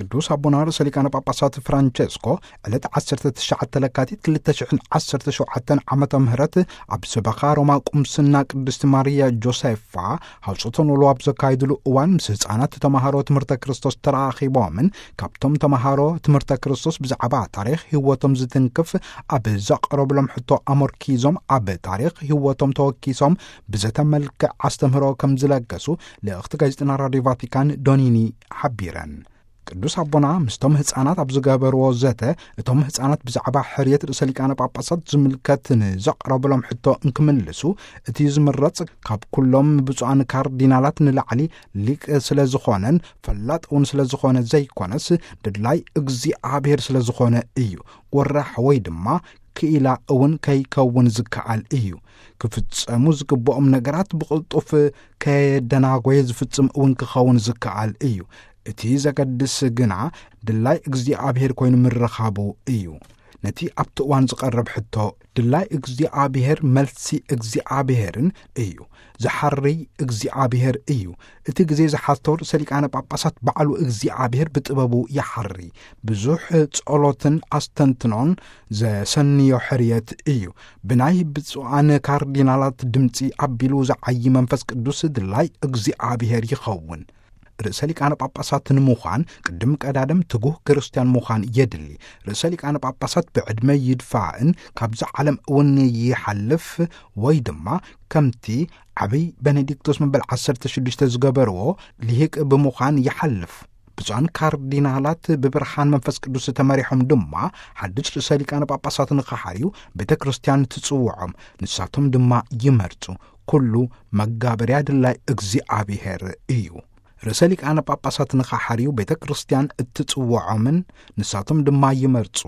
ቅዱስ ኣቦና ርእሰ ሊቃነ ጳጳሳት ፍራንቸስኮ ዕለት ዓሰርተ ትሽዓተ ለካቲት ክልተ ሽሕን ዓሰርተ ሸውዓተን ዓመተ ምህረት ኣብ ሰበኻ ሮማ ቁምስና ቅድስቲ ማርያ ጆሴፋ ሃውፅቶ ንውሎ ኣብ ዘካይድሉ እዋን፣ ምስ ህፃናት ተምሃሮ ትምህርተ ክርስቶስ ተራኺቦምን ካብቶም ተምሃሮ ትምህርተ ክርስቶስ ብዛዕባ ታሪኽ ህይወቶም ዝትንክፍ ኣብ ዘቕረብሎም ሕቶ ኣመርኪዞም፣ ኣብ ታሪኽ ህይወቶም ተወኪሶም ብዘተ መልክዕ ኣስተምህሮ ከም ዝለገሱ ልእኽቲ ጋዜጠና ራድዮ ቫቲካን ዶኒኒ ሓቢረን። ቅዱስ ኣቦና ምስቶም ህፃናት ኣብ ዝገበርዎ ዘተ፣ እቶም ህፃናት ብዛዕባ ሕርየት ርእሰ ሊቃነ ጳጳሳት ዝምልከት ንዘቕረብሎም ሕቶ እንክምልሱ፣ እቲ ዝምረጽ ካብ ኩሎም ብፁዓን ካርዲናላት ንላዕሊ ሊቅ ስለ ዝኾነን ፈላጥ እውን ስለ ዝኾነ ዘይኮነስ፣ ድላይ እግዚኣብሔር ስለ ዝኾነ እዩ። ወራሕ ወይ ድማ ክኢላ እውን ከይከውን ዝከኣል እዩ። ክፍጸሙ ዝግብኦም ነገራት ብቕልጡፍ ከየደናጎየ ዝፍጽም እውን ክኸውን ዝከኣል እዩ። እቲ ዘገድስ ግና ድላይ እግዚኣብሔር ኮይኑ ምርኻቡ እዩ። ነቲ ኣብቲ እዋን ዝቐርብ ሕቶ ድላይ እግዚኣብሔር መልሲ እግዚኣብሔርን እዩ። ዝሓሪ እግዚኣብሔር እዩ። እቲ ግዜ ዝሓቶ ርእሰ ሊቃነ ጳጳሳት ባዕሉ እግዚኣብሔር ብጥበቡ ይሓሪ። ብዙሕ ጸሎትን ኣስተንትኖን ዘሰንዮ ሕርየት እዩ። ብናይ ብፁዓን ካርዲናላት ድምፂ ኣቢሉ ዝዓዪ መንፈስ ቅዱስ ድላይ እግዚኣብሔር ይኸውን። ርእሰ ሊቃነ ጳጳሳት ንምዃን ቅድም ቀዳድም ትጉህ ክርስትያን ምዃን የድሊ። ርእሰ ሊቃነ ጳጳሳት ብዕድመ ይድፋእን ካብዚ ዓለም እውን ይሓልፍ፣ ወይ ድማ ከምቲ ዓብይ ቤኔዲክቶስ መበል ዓሰርተ ሽዱሽተ ዝገበርዎ፣ ልሂቅ ብምዃን ይሓልፍ። ብፁዓን ካርዲናላት ብብርሃን መንፈስ ቅዱስ ተመሪሖም ድማ ሓድሽ ርእሰ ሊቃነ ጳጳሳት ንኽሓርዩ ቤተ ክርስቲያን ትጽውዖም፣ ንሳቶም ድማ ይመርጹ። ኩሉ መጋበርያ ድላይ እግዚኣብሔር እዩ። ርእሰ ሊቃነ ጳጳሳት ንኽሓርዩ ቤተ ክርስቲያን እትጽውዖምን ንሳቶም ድማ ይመርጹ።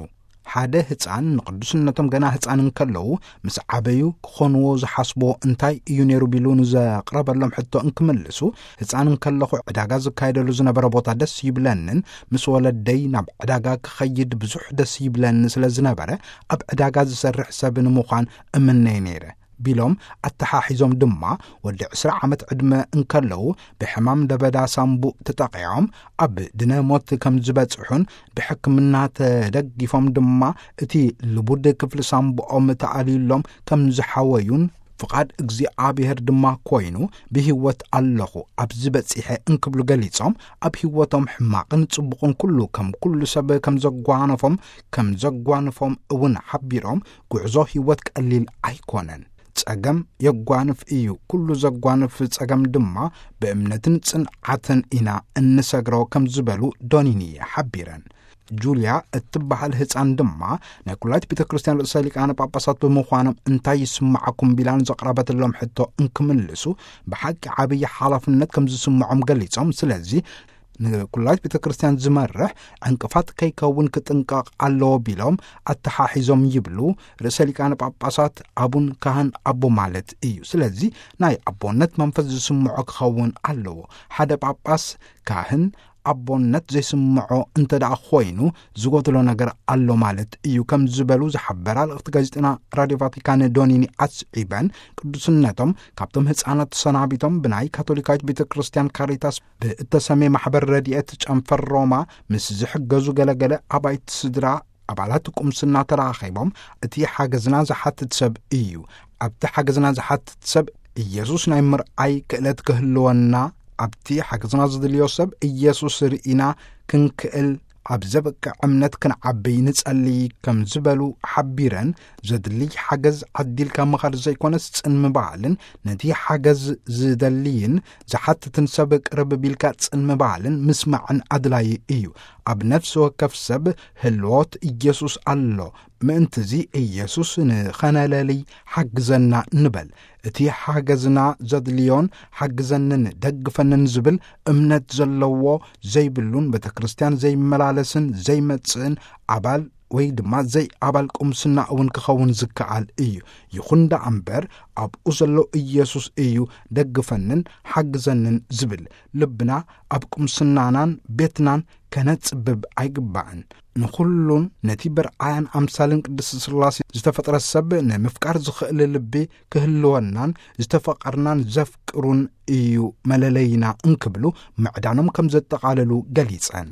ሓደ ህፃን ንቅዱስነቶም ገና ህፃን እንከለዉ ምስ ዓበዩ ክኾንዎ ዝሓስቦ እንታይ እዩ ነይሩ ቢሉ ንዘቕረበሎም ሕቶ እንክምልሱ፣ ህፃን እንከለኹ ዕዳጋ ዝካየደሉ ዝነበረ ቦታ ደስ ይብለንን ምስ ወለደይ ናብ ዕዳጋ ክኸይድ ብዙሕ ደስ ይብለኒ ስለ ዝነበረ ኣብ ዕዳጋ ዝሰርሕ ሰብ ንምዃን እምነይ ነይረ ቢሎም ኣተሓሒዞም ድማ፣ ወዲ ዕስራ ዓመት ዕድመ እንከለዉ ብሕማም ለበዳ ሳምቡእ ተጠቒዖም ኣብ ድነ ሞት ከም ዝበጽሑን ብሕክምና ተደጊፎም ድማ እቲ ልቡድ ክፍሊ ሳምቡኦም ተኣልዩሎም ከም ዝሓወዩን፣ ፍቓድ እግዚኣብሔር ድማ ኮይኑ ብህይወት ኣለኹ ኣብዚ በጺሐ እንክብሉ ገሊጾም፣ ኣብ ህይወቶም ሕማቕን ጽቡቕን ኩሉ ከም ኩሉ ሰብ ከም ዘጓነፎም ከም ዘጓንፎም እውን ሓቢሮም፣ ጉዕዞ ህይወት ቀሊል ኣይኮነን። ጸገም የጓንፍ እዩ፣ ኩሉ ዘጓንፍ ጸገም ድማ ብእምነትን ጽንዓትን ኢና እንሰግሮ ከም ዝበሉ ዶኒኒ ሓቢረን። ጁልያ እትበሃል ህፃን ድማ ናይ ኩላይት ቤተ ክርስቲያን ርእሰ ሊቃነ ጳጳሳት ብምዃኖም እንታይ ይስማዓኩም ቢላን ዘቕረበትሎም ሕቶ እንክምልሱ፣ ብሓቂ ዓብዪ ሓላፍነት ከም ዝስምዖም ገሊጾም፣ ስለዚ ንኩላይት ቤተ ክርስቲያን ዝመርሕ ዕንቅፋት ከይከውን ክጥንቀቕ ኣለዎ ቢሎም ኣተሓሒዞም ይብሉ ርእሰ ሊቃነ ጳጳሳት። ኣቡን ካህን ኣቦ ማለት እዩ። ስለዚ ናይ ኣቦነት መንፈስ ዝስምዖ ክኸውን ኣለዎ። ሓደ ጳጳስ፣ ካህን፣ ኣቦነት ዘይስምዖ እንተ ደኣ ኮይኑ ዝጎድሎ ነገር ኣሎ ማለት እዩ ከም ዝበሉ ዝሓበራ ልእኽቲ ጋዜጠና ራድዮ ቫቲካን ዶኒኒ ኣስዒበን፣ ቅዱስነቶም ካብቶም ህፃናት ተሰናቢቶም ብናይ ካቶሊካዊት ቤተ ክርስቲያን ካሪታስ ብእተሰሜ ማሕበር ረድኤት ጨንፈር ሮማ ምስ ዝሕገዙ ገለገለ ኣባይቲ ስድራ ኣባላት ቁምስና ተራኺቦም፣ እቲ ሓገዝና ዝሓትት ሰብ እዩ። ኣብቲ ሓገዝና ዝሓትት ሰብ ኢየሱስ ናይ ምርኣይ ክእለት ክህልወና፣ ኣብቲ ሓገዝና ዝድልዮ ሰብ ኢየሱስ ርኢና ክንክእል ኣብ ዘብቅዕ እምነት ክንዓብይ ንጸልይ ከም ዝበሉ ሓቢረን፣ ዘድልይ ሓገዝ ዓዲልካ ምኻድ ዘይኮነስ ጽን ምባልን ነቲ ሓገዝ ዝደልይን ዝሓትትን ሰብ ቅርብ ቢልካ ጽን ምባልን ምስማዕን ኣድላዪ እዩ። ኣብ ነፍሲ ወከፍ ሰብ ህልዎት ኢየሱስ ኣሎ። ምእንትዚ ኢየሱስ ንኸነለልይ ሓግዘና ንበል። እቲ ሓገዝና ዘድልዮን ሓግዘንን ደግፈንን ዝብል እምነት ዘለዎ ዘይብሉን ቤተ ክርስቲያን ዘይመላለስን ዘይመጽእን ኣባል ወይ ድማ ዘይኣባል ቁምስና እውን ክኸውን ዝከኣል እዩ። ይኹን ደኣ እምበር ኣብኡ ዘሎ ኢየሱስ እዩ ደግፈንን ሓግዘንን ዝብል። ልብና ኣብ ቁምስናናን ቤትናን ከነጽብብ ኣይግባእን። ንኹሉን ነቲ ብርኣያን ኣምሳልን ቅድስቲ ስላሴ ዝተፈጥረ ሰብ ንምፍቃር ዝኽእል ልቢ ክህልወናን ዝተፈቐርናን ዘፍቅሩን እዩ መለለይና እንክብሉ ምዕዳኖም ከም ዘጠቓለሉ ገሊጸን።